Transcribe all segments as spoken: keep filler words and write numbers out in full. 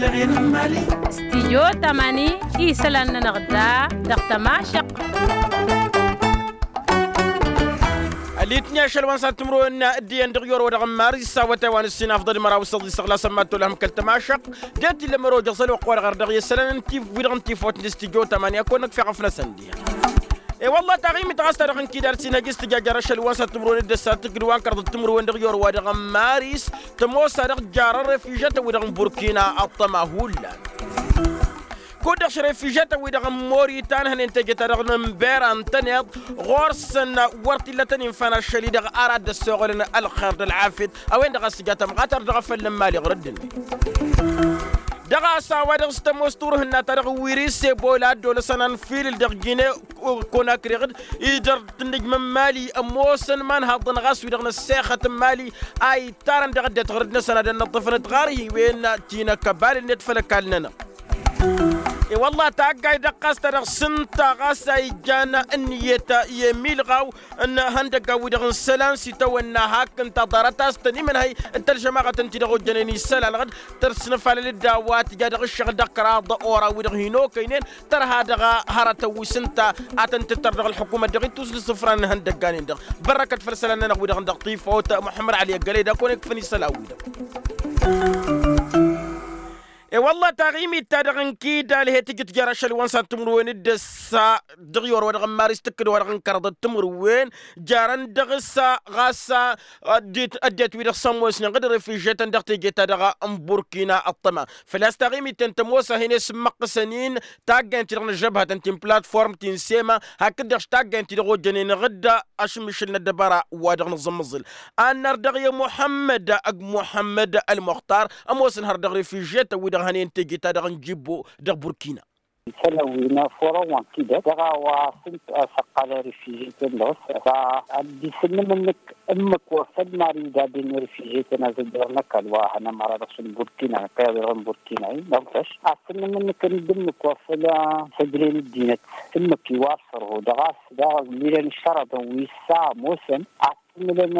Stijyo tamani isălan-nănăɣ da dăɣ-tămašăq. Ălitni ašăl wa n-sat timǝrwen d-iyyăn dăɣ-yorwa dăɣ-n maris s-awătay wa n-ǝssin afḍăl măraw s-ăḍisăɣ lasăn ma t-olăhăm kăl-tămašăq. D-e t-illa măro jăẓăl wa ăqqoorăɣ ar dăɣ-i isălan n-tifwidăɣ n-tifot n-stijyo tamani a kăwăn-năkfeɣ afnăsăn-di. E-wălla taɣimit ɣas ta dăɣ-n kidar s-inhăj s-tǝjajjar ašăl wa n-sat timǝrwen d-ăssa tǝggǝd wa n-kărḍăt timǝrwen dăɣ-yorwa dăɣ-n maris. Tămoos-a-dăɣ jarăn refizătăn-wi-dăɣ n-burkina ăṭṭăma hullan. Kud-dăɣ šrefizătăn-wi-dăɣ n-moritan hănen teje-ta-dăɣ n-ănbera ǝntăneḍ ɣur-săn wăr t-illa tăn-infan ašăl-i-dăɣ ara dd-ăssoɣălăn ălxer d-ălɣafyăt. A-wen-dăɣ a-s tǝja tamɣatăr dăɣ-afăl n-imali ɣur-ăddinăt. Dăɣ-a-s a-wa dăɣ-s tămoos turhǝnna-ta-dăɣ n-wiri s-ebola a dd-olăsăn anfilǝl dăɣ-gine konakriɣ-dd idăr tǝnnǝjmăn mali ămoosăn imanhaḍăn ɣas wi-dăɣ n-ăssexăt n-mali a ittarăn dăɣ-ăddinăt ɣur-dd-năsăn ad-ănnăḍḍăfăn tiɣarhiwen tinăkkăbal-net făll-ăkall-nănăɣ. I-wălla taggayt dăɣ-ɣas ta dăɣ-s ǝnta ɣas a ijjan ǝnniyăt i-emilɣaw n-ihăndăggan-wi-dăɣ n-isălan s-itawănna hak ǝnta ḍarăt a-s tăn-imǝnhăy d-tălžămaɣăt ǝnta-i-dăɣ ojjănen isălan-dăɣ d-tărsǝnfalăl d-a-wa tǝja dăɣ-ǝššăɣǝl dăɣ-kăraḍ ora-wi-dăɣ hin-okăynen tărha dăɣ-hărătăn wi s-ǝnta a tăn-tǝttăr dăɣ-ălḥukumăt dăɣ-ittus n-isǝfran n-ihăndăggan-en-dăɣ. Bărrăkăt făll-isălan-nănăɣ-wi-dăɣ dăɣ-tifawt muḥămmăd ăli ăggălăy d-ad-kăwăn-ikfăn isălan-wi-dăɣ. E-wălla taɣimit-ta-dăɣ n-kidal he-tǝjǝt jer-ašăl wa n-sat timǝrwen d-ăssa dăɣ-i orăwădăɣ n-maris tǝkkǝd wa dăɣ-n kărăḍăt timǝrwen jarăn dăɣ-s ɣas ăddinăt wi-dăɣ s-ămoosnen ɣǝd refizjetăn dăɣ-teje-ta-dăɣ n-burkina ăṭṭăma. Făl-a-s taɣimit-ten tămoos a hin-e-sǝmmăqqǝsăn-in taggayăn-ti-dăɣ n-ăžžăbhătăn ti n-platform ti n-sema hakd-dăɣ taggayăn-ti-dăɣ ojjănen ɣǝd ašǝmmišǝl n-ăddăbara wa dăɣ-nǝẓǝmmǝẓǝl. Annăr dăɣ-i muḥămmăd ăgg muḥămmăd ălmuxtar ămoosăn har dăɣ-refizjetăn wi-dăɣ hănen teje-ta-dăɣ n-jibbo dăɣ-burkina. Isălan wi n-afurăn wa n-kidăt dăɣ-a-wa s-ǝnta a-s ăqqalăn refizjetăn dăɣ-s. Ad-dd-isǝnnǝm-nǝk ǝmmǝk wa făl mari idadden refizjetăn a-s ăjrăwăn ăkall wa hănămăra dăɣ-s n-burkina n-ăkall wa dăɣ-n burkina-i dăɣ-n făš. Ad-sǝnnǝm-nǝk ǝnda ǝmmǝk wa făl săjdăyăn ǝddinăt ǝmmǝk iwar sărho dăɣ-a-s daɣ ǝlmidăn ǝššărătăn wi s-a ămoosăn ad-t-ǝmmǝlăn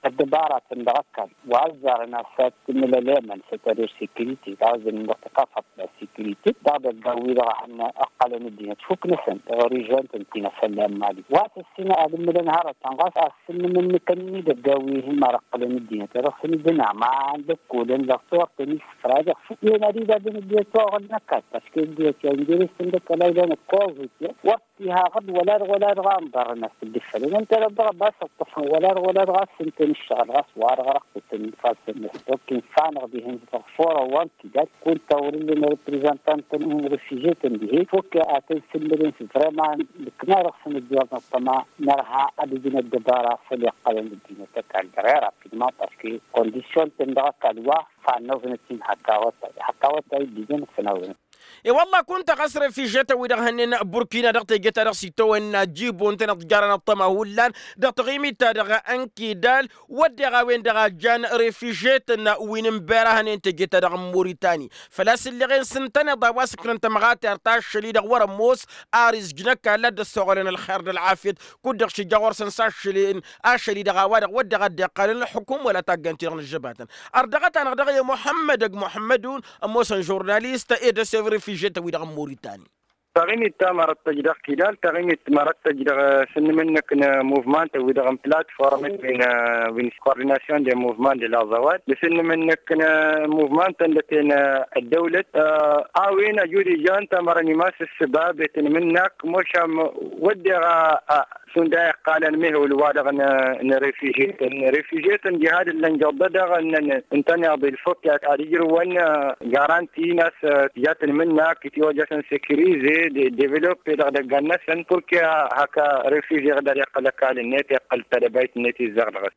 ăddăbaratăn dăɣ-ăkall wa ăzzarăn a-s ad-t-ǝmmǝl ălemăn s-ad-t-ad-ăr sekirite dăɣ-a-s dd-inǝnḍăɣ tăkafăḍt ta sekirite dăɣ-idăggan-wi-dăɣ a hannăɣ ăqqălăn ăddinăt fukk-năsăn dăɣ-režion-tăn ti n-afălla n-mali wa s-ăssinăɣ ad-ǝmmǝlăn hărătăn ɣas a ăssǝnnǝm-nǝkăn n-idăggan-wi-hin mărăqqǝlăn ăddinăt i-dăɣ-săn ǝjǝn aman d-ăkkolăn dăɣ-s wăr tăn-issǝfra dăɣ-s i-ănn ad-idadden ăddinăt wa ɣǝd n-ăkall parske ăddinăt ya ǝnjăres-tăn d-ăkall a ilan ăkkoẓ-t wăr t-iha ɣǝd wăla dăɣ-wăla dăɣ-a ǝnḍărrăn a-s dd-ǝffălăn ǝnta dăɣ-dăɣ a ăbas ǝṭṭăfăn wăla dăɣ-wăla dăɣ-a ǝssǝntăn ǝššăɣǝl ɣas wa dăɣ-răqqǝtăn ifassăn-năsăn ok infanăɣ dihen dăɣ-furăn wa n-tidad kunta wăr-ǝllen reprezăntant n-refizye-tăn dihen fok ad-tăn-sǝmmǝlăn s-vrăman d-ǝkna dăɣ-săn ǝjjăwăḍ n-ăṭṭăma nărha ad-ǝjǝn ăddăbara făll-iqqălăn ăddinăt ăkall dăɣ-i rapidman parske kondisyon-tăn dăɣ-ăkall wa fannăẓnăt-in hăkk awătay hăkk awătay dd-ijăn ǝffǝnawănăt. E-wălla kunta ɣas refizye-tăn-wi-dăɣ hănnen burkina dăɣ-teje-ta-dăɣ s-itawănna jibo ǝntăneḍ jarăn ăṭṭăma hullan dăɣ-taɣimit-ta-dăɣ n-kidal wădden a-wen-dăɣ a jan refizye-tăn wi n-ǝnbera hănen teje-ta-dăɣ n-muritani. Făl-a-s ǝlleɣen s-ǝntăneḍ a-wa s-ǝknăn tămɣatert ašăl-i-dăɣ wăr-ămoos ar izjǝn ăkall a dd-ăssoɣălăn ălxer d-ălɣafyăt kud-dăɣ šija ɣur-săn s-ašăl-in ašăl-i-dăɣ a-wa-dăɣ wădden a dd-iqqalăn ălxukum wăla taggant-i-dăɣ n-ăžžăbatăn. Ărdăɣăt-anăɣ dăɣ-i muḥămmăd ăgg muḥămmădun ămoosăn žurnalist e-dăsev refizye-tăn-wi-dăɣ n-muritani. Taɣimit ta mărăt tăj dăɣ-kidal taɣimit mărăt tăj dăɣ-s ǝnnǝm-năk n-muvman-tăn wi-dăɣ n-platform wi n-kordinasyon de muvman de la zawad dăɣ-s ǝnnǝm-năk n-muvman-tăn dăɣ-ten ăddăwlăt. A-wen ăjud ijan tamărăn imas ǝssǝbab i-tǝnmǝnnak mošam wădden a šund a iqqalăn mehol wa-dăɣ n-refizye-tăn refizye-tăn diha d-ǝllăn jăḍḍădăɣ ǝntăneḍ ilfok ad-ijrǝwăn garanti n-a-s tija tǝnmǝnnak itiwăjjasăn sekirize developpe dăɣ-idăggan-năsăn purke hak refizye-tăn ad-iqqăl ăkall-net iqqăl tadăbayt-net izzăɣ dăɣ-s.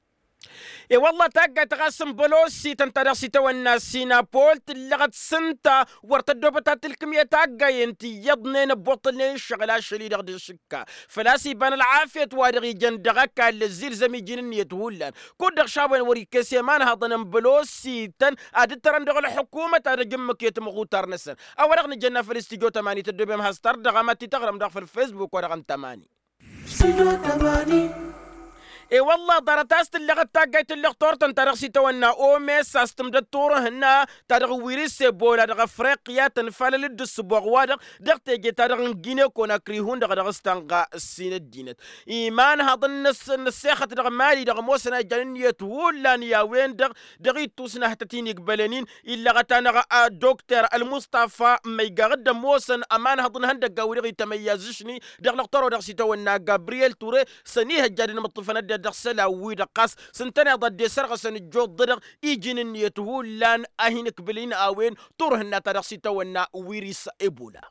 E-wălla taggayt ɣas n-bălosităn ta dăɣ-s itawănna sinapol tǝllăɣăt s-ǝnta wăr tăddoobăt ad-tǝlkǝm i-taggayen ti iyyăḍnen ăbbuṭṭălnen ǝššăɣǝl ašăl-i-dăɣ d-ašǝkka. Făl-a-s iba n-ălɣafyăt wa dăɣ-ijăn dăɣ-ăkall ăzzilzăm iji n-ǝnniyăt hullan kud-dăɣ šawăn wăr-ikkes i-imanhăḍăn n-bălosităn ad-ǝttărăn dăɣ-ălḥukumăt ad-ăj ǝmmǝk i-tamɣutar-năsăn. A-wa-dăɣ nǝjănna făll-istijjo tămani tăddoobem has-tărdăɣăm ad-t-tăɣrăm daɣ făll-fesbuk wa dăɣ-n tămani. Stijjo tămani. E-wălla ḍarăt a-s tǝlleɣăt taggayt n-lăxtor-tăn ta dăɣ-s itawănna omes a-s tǝmdăt turǝhǝnna ta dăɣ-wiris ebola dăɣ-afriqya tănfalăl-dd ǝssǝboɣ-wa-dăɣ dăɣ-teje ta dăɣ-n gine konakri hundăɣ dăɣ-s tanɣa ǝssin ăddinăt. Imanhăḍăn n-ăssexăt dăɣ-mali-dăɣ ămoosăn a ijăn ǝnniyăt hullan i-a-wen-dăɣ dăɣ-ittus n-ahtăt-in igbălăn-in illăɣăt-anăɣ dokter ălmustafa măygaɣ dd-ămoosăn ămanhăḍ n-ihăndăggan wi-dăɣ itămăyyazǝšni dăɣ-lăxtor wa dăɣ-s itawănna gabriyel ture s-ănihăjja d-inmǝṭṭǝfăn ăddinăt dăɣ-isălan-wi-dăɣ ɣas s-ǝntăneḍ a dd-esărɣăsăn ǝjjuḍ-dăɣ iji n-ǝnniyăt hullan a hin-ǝkbǝl-in a-wen turhǝnna ta dăɣ-s itawănna wiris ebola.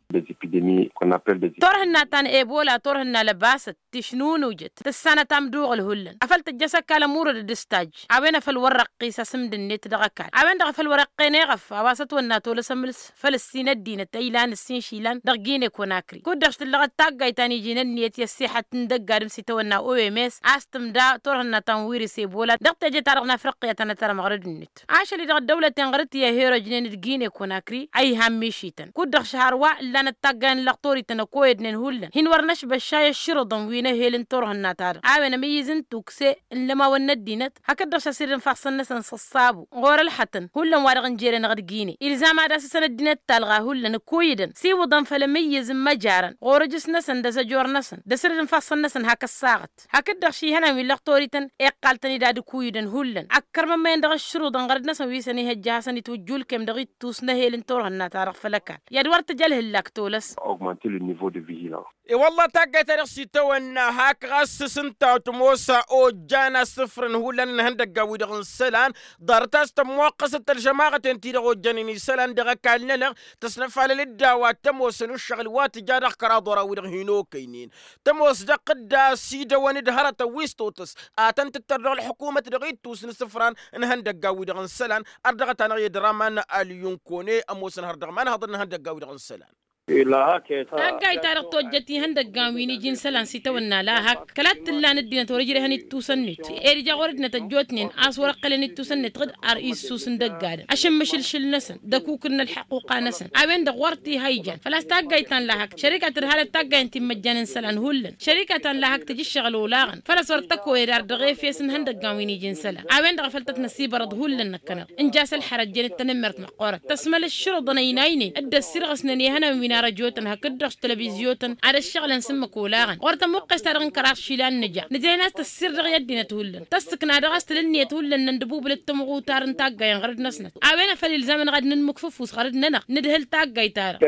Turhǝnna ta n-ebola turhǝnna lăbasăt tišnunujăt tǝssanăt amduɣǝl hullan afăl tǝjjăš ăkall ămurăd d-ǝstaj a-wen afăl wăr răqqis asǝmd-net dăɣ-ăkall a-wen-dăɣ a făl wăr-iqqen eɣăf a-wa s-ătwănna tolăs ămǝls făll-ǝssin ăddinăt a ilan ǝssin išilan dăɣ-gine konakri kud-dăɣ s-tǝllăɣăt taggayt ta n-iji n-ǝnniyăt i-ăssixăt n-dăgg-adǝm s-itawănna oms a-s tǝmda turhǝnna ta n-wiris ebola dăɣ-teje-ta-dăɣ n-afriqya tănăt ărmăɣrăd-net. Ašăl-i-dăɣ ăddăwlăten ɣărăt i-ăherojnen d-gine konakri a iha n-mišităn kud-dăɣ šăhărwa ǝllanăt taggayen n-lăxtor-ităn ăkoyădnen hullan hin-wăr năšbăššay ăššǝrǝḍăn wi n-ehel n-turhǝnna-ta-dăɣ a-wen ămǝyyǝz n-tukse n-lămawăn n-ăddinăt hakd-dăɣ šăsred n-ifassăn-năsăn s-ăṣṣabu ɣur-ălxătăn hullan wa dăɣ-n jere-năɣ d-gine ilzam ad-asǝsăn ăddinăt talɣa hullan ǝkuyǝdăn s-iwǝḍăn făll-amǝyyǝz n-imăjarăn ɣur-ǝjǝs-năsăn d-asăjor-năsăn d-asǝred n-ifassăn-năsăn hak ăssaɣăt hakd-dăɣ šihănan wi n-lăxtor-ităn iqqal-tăn-dd ad-ǝkuyǝdăn hullan ăkkărmămmăyăn dăɣ-ǝššǝruḍăn ɣărăd-năsăn wi s-ănihăjja ad-hasăn-itwǝjjulkem dăɣ-ittus n-ehel n-turhǝnna-ta-dăɣ făll-ăkall i-ad-wăr tǝj ălhǝllak tolăs. Augmenter le niveau de vigilance. E-wălla taggayt-ta-dăɣ s-itawănna hak ɣas s-ǝnta tămoos ojjan asǝfrăn hullan n-ihăndăggan-wi-dăɣ n-isălan ḍarăt a-s tămmoqqăsăt ălžămaɣăten-ti-dăɣ ojjănen isălan dăɣ-ăkall-nănăɣ tăsnăfalăl-dd a-wa t-ămoosăn ǝššăɣǝl wa tǝja dăɣ-kăraḍ wăr-a-wi-dăɣ hin-okăynen tămoos dăɣ-tǝdda s-idăwăn d-hărătăn wi s-totas a tăn-tǝttăr dăɣ-ălḥukumăt dăɣ-ittus n-isǝfran n-ihăndăggan-wi-dăɣ n-isălan. Ărdăɣăt-anăɣ i-ădramăn ălyunkone ămoosăn har dăɣ-imanhăḍăn n-ihăndăggan-wi-dăɣ n-isălan. Taggayt-ta-dăɣ tojjăt ihăndăggan wi n-iji n-isălan s-itawănna lahak kăla t-tǝllan ăddinăt wăr-ǝjrehăn ittus-net ed ija ɣur-ăddinăt ăjjootnen a-s wăr-ăqqălăn ittus-net ɣǝd ar issus n-dăgg-adǝm ašǝmmǝšǝlšǝl-năsăn d-akukǝd n-ălḥăquqa-năsăn a-wen-dăɣ wăr t-iha ijan făl-a-s taggayt ta n-lahak šărika tǝdhalăt taggayen ti n-imăjjan n-isălan hullan šărika ta n-lahak tǝjǝššăɣǝl olaɣăn făl-a-s wăr t-ăkoyăd ar dăɣ-efes n-ihăndăggan wi n-iji n-isălan a-wen-dăɣ a făl tăt-năsibărăḍ hullan năkkăneḍ ǝnja a-s ălxărăt jănet tanămmert măqqoorăt tăsmăl ǝššǝrǝḍăn ăynaynen dd-ăssirɣǝsnen i-ihănan wi n-arăjotăn hakd-dăɣ s-telăvizyotăn ad-ăššăɣǝlăn s-ǝmmǝk olaɣăn ɣur-tămuqqes-ta-dăɣ n-kăraḍ išilan nǝja nǝjrăyăn a-s tăssir dăɣ-i ăddinăt hullan tăssǝkna dăɣ-s tǝl ǝnniyăt hullan n-ăndǝbubǝl d-tamɣutar n-taggayen ɣărăd-năsnăt a-wen a făl ilzam-anăɣ ad-nǝnmǝk făfus ɣărăd-nănăɣ nǝdhǝl taggayt-ta-dăɣ.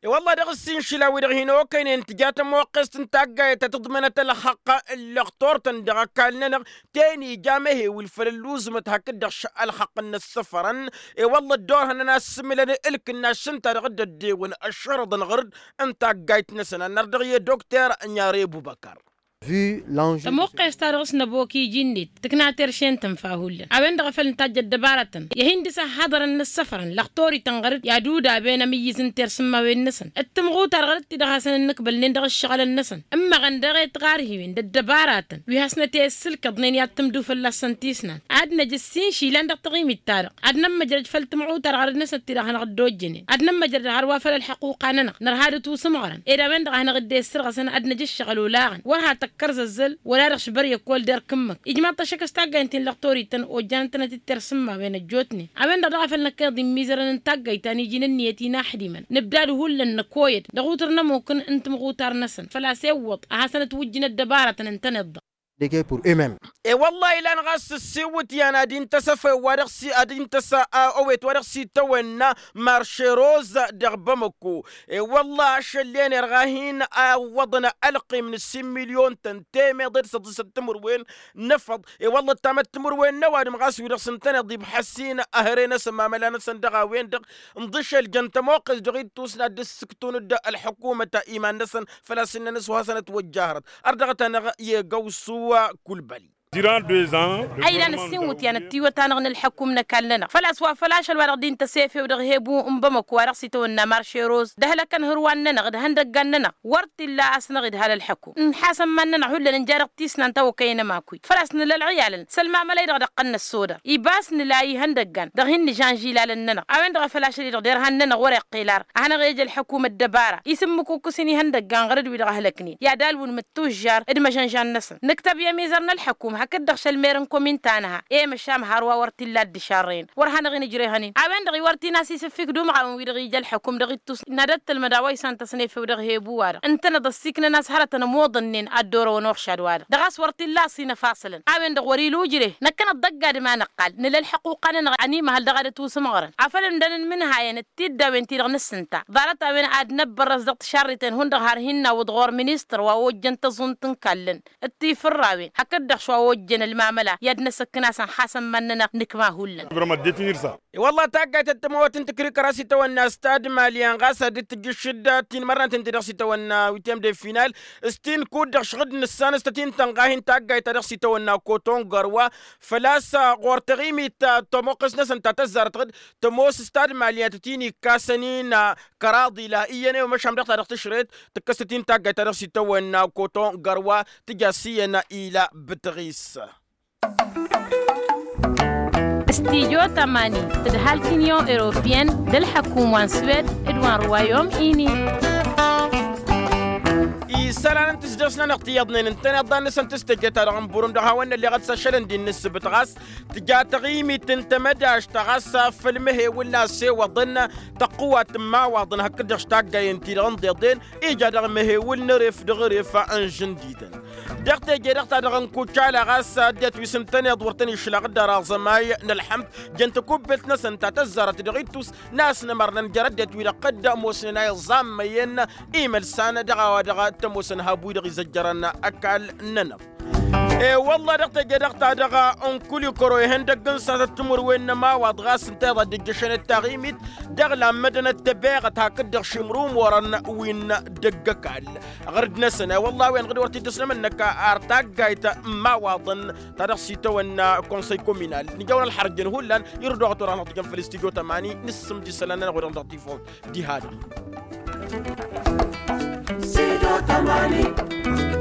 E-wălla dăɣ-s inšila-wi-dăɣ hin-okăynen tǝja tămoqqest n-taggayt ta tǝḍmănăt ălxăqq n-lăxtor-tăn dăɣ-ăkall-nănăɣ ten ija amehewǝl făll-ălluẓǝmăt hakd-dăɣ š-ălxăqq n-inǝssăfărăn. E-wălla ăddoorhănăn a ǝssǝmǝlăn ǝlkǝnnaš ǝnta-dăɣ dd-ăddewăn ăššărăḍăn ɣăr-dd n-taggayt-năsăn ad-nărdăɣ i-dokter ănjare bubăkăr. Tămoqqes-ta-dăɣ s-năbok iji-net tǝkna terše n-tǝnfa hullan a-wen-dăɣ a făl nǝtajj ăddăbaratăn i-ad-hin-dăr-s ăhhaḍărăn n-ǝssăfărăn lăxtor-ităn ɣăr-dd i-ad-udaben amǝyyǝz n-tersǝmmawen-năsăn d-timɣutar ɣăr-dd ti-dăɣ hasăn-ǝnnǝkbălnen dăɣ-ǝššăɣǝlăn-năsăn ǝmmăɣăn dăɣ-e tiɣarhiwen d-ăddăbaratăn wi hasnăt-e-ǝssǝlkăḍnen i-ad-tǝmdu fălla-săn tisnant ad-năj ǝssin išilan dăɣ-taɣimit-ta-dăɣ ad-nămmăjrăj făll-timɣutar ɣărăd-năsnăt ti-dăɣ hanăɣ-dd-ojjănen ad-nămmăjrăd hărwa făll-ălḥăquqa-nănăɣ nărha d-tusǝmɣărăn ed a-wen-dăɣ a hanăɣ-dd-e-ǝssărɣăsăn ad-năj ǝššăɣǝl olaɣăn wăr ha tăkkăr zăzzăl wăla dăɣ-s băr i-ăkkoll d-erk ǝmmǝk ijmaḍ-t ăššăk s-taggaynt-in lăxtor-ităn ojjanăn-tănăt-dd tersǝmmawen ăjjootnen a-wen-dăɣ daɣ a făl năkkeḍ immizărăn n-taggayt ta n-iji n-ǝnniyăt inaxdimăn nǝbdad hullan năkoyăd dăɣ-utǝr n-ămuk n-timɣutar-năsăn făl-a-s iwwăḍ ad-hasăn-ătwǝjjǝn ăddăbaratăn ǝntăneḍ-dăɣ. Dege pur eux-memes. E-wălla-hi ilan ɣas s-ǝssiwǝtyan ad-intăs afăyăw wa dăɣ-s ad-intăs ăwet wa dăɣ-s itawănna marše roza dăɣ-bamăko. E-wălla ašăl-en irɣa hin-awwăḍăn ălqim n-ǝssin milyon-tăn temeḍe d-săḍisăt timǝrwen n-efăḍ. E-wălla ǝttamăt timǝrwen n-ăwadǝm ɣas wi-dăɣ s-ǝntăneḍ ibḥăs-in ăhre-năsăn mamăla-năsăn dăɣ-a-wen-dăɣ ǝnḍǝšel jăn tămoqqes dăɣ-ittus n-ad-dd-ǝssǝktun-dd ălḥukumăt iman-năsăn făl-a-s ǝnnăn s-wa hasăn-ătwăjjahărăt. Ărdăɣăt-anăɣ i-găwsu kulbăli. Durant deux ans. A ilan ǝssin wǝtyan ăttiwăt-anăɣ n-ălḥăkum n-ăkall-nănăɣ făl-a-s wa făl ašăl wa-dăɣ dd-intăsefew dăɣ-hebu n-bamăko wa dăɣ-s itawănna marše roz d-ehălăkăn hărwan-nănăɣ d-ihăndăggan-nănăɣ wăr t-illa a-s năɣ-idhal ălḥăkum. Nǝḥasăn iman-nănăɣ hullan ǝnja dăɣ-tisnant a okăyăn ămakuyt făl-a-s nǝla ălɣiyalăn s-ălmamălăy-dăɣ dăɣ-tăn-năssodăr iba a-s nǝla ihăndăggan dăɣ-hin-nǝžanžilal ǝnnănăɣ a-wen-dăɣ a făl ašăl-i-dăɣ derhan-nănăɣ wăr-iqqel ar a hanăɣ-ej ălḥăkum ăddăbara isǝmmǝk ukǝs-in ihăndăggan ɣărăt-wi-dăɣ ăhlăknen i-ad-alwǝn mǝttujjar d-imăžănžan-năsăn nǝktăb i-ămizăr n-ălḥăkum hakd-dăɣ šălmer n-komin ta nǝha i-măšam har wa wăr t-illa dd-išarrăyăn wăr hanăɣ-in-ǝjrehăn-in a-wen-dăɣ iwăr t-in-as-isǝffik d-umɣawen-wi-dăɣ ija ălḥăkum dăɣ-ittus n-ad-ăttălmăd a-wa isantăsnefew dăɣ-hebu-wa-dăɣ ǝntăneḍ ăssiiknăn a-s hărătăn ămoḍănnen ad-dd-orăwăn uɣšad-wa-dăɣ dăɣ-a-s wăr t-illa a-s inăfasălăn a-wen-dăɣ wăr-ila ujreh năkkăneḍ d-ăgg-adǝm a năqqal nǝla ălḥăquqa-nănăɣ ănimăhăl dăɣ-ad-ătwǝs ǝmɣărăn afăl ǝndăn n-imǝnhayăn d-tiddawen-ti-dăɣ nǝssǝnta ḍarăt-a-wen ad-năbbărrăs dăɣ-tišarriten hundăɣ har hin-nawǝḍ ɣur-ministăr wa ojjăn tăẓunt n-kallăn d-tifǝrrawen hakd-dăɣ šwa ojjăn ălmamăla i-ad-năsăkkăn a-s ănxasăn iman-nănăɣ nǝkma hullan. I-wălla taggayt d-tămawăt n-tikrikăra s-itawănna stad malyan ɣas ad-dd-tǝjj ǝššǝdda tinmărnăt ǝnta-i dăɣ-s itawănna witiyăm de final s-ti n-kud-dăɣ šăɣ-dd nǝssan s-tăt-in-tănɣa hin-taggayt ta dăɣ-s itawănna koton gărwa făl-a-s ɣur-taɣimit ta tămoqqes-năsăn ta tăzzarăt tămoos stad malyan tăt-in-ikkasăn-in kăraḍ ila iyyăn i-wa măšan dăɣ-ta dăɣ-tǝšret tǝkkăs-tăt-in taggayt ta dăɣ-s itawănna koton gărwa tǝja s-iyyăn ila bǝtɣis. Stijo tămani tǝdhal tinyon europiyăn d-ălḥăkum wa n-swed d-wa n-ruwayom ini. Isălan n-tǝsdăs-nănăɣ ti iyyăḍnen ǝntăneḍ d-ad-nǝsăn tǝstăjăt-ta-dăɣ n-burum dăɣ-hawăn-nălleɣăt s-ašălăn d-innǝssǝbǝt ɣas tǝja taɣimit n-tamădašt ta ɣas făll-mehewǝl n-asewăḍăn tăqqǝwat n-imawaḍăn hakd-dăɣ s-taggayen-ti-dăɣ n-iḍeḍen ija dăɣ-mehewǝl n-eref dăɣ-eref n-žǝndităn. Dăɣ-teje-dăɣ-ta-dăɣ n-kucala ɣas ăddinăt wi s-ǝntăneḍ wăr tăn-išlăɣ dd-ara aẓămay n-ălḥămd jăn takubbelt-năsăn ta tăzzarăt dăɣ-ittus n-a-s nămărnăn jer-ăddinăt wi-dăɣ dd-ămoosnen a iẓammăyăn imălsan dăɣ-a-wa dăɣ-tămoosăn hab wi-dăɣ izăjjărăn ăkall-nănăɣ. E-wălla dăɣ-teje-dăɣ-ta-dăɣ n-kulikăro ihăndăgg n-sasăt timǝrwen n-ămawaḍ ɣas ǝnta iḍa dd-ǝjjăšăn d-taɣimit dăɣ-lammădăn ăttăbeɣăt hakd-dăɣ šimrumorăn wi n-dăgg-ăkall. Ɣărd-năsăn i-wălla a-wen ɣǝd wăr t-dd-ăsnămănnăk ar taggayt n-imawaḍăn ta dăɣ-s itawănna konsăy kominal nǝjăwăn ălxărjăn hullan irǝd wa ɣǝd-wăr-anăɣ-tǝjăn făll-stijo tămani nǝssǝmd isălan-nănăɣ wa dăɣ-dăɣ-tifawt. Diha-dăɣ. Studio tămani.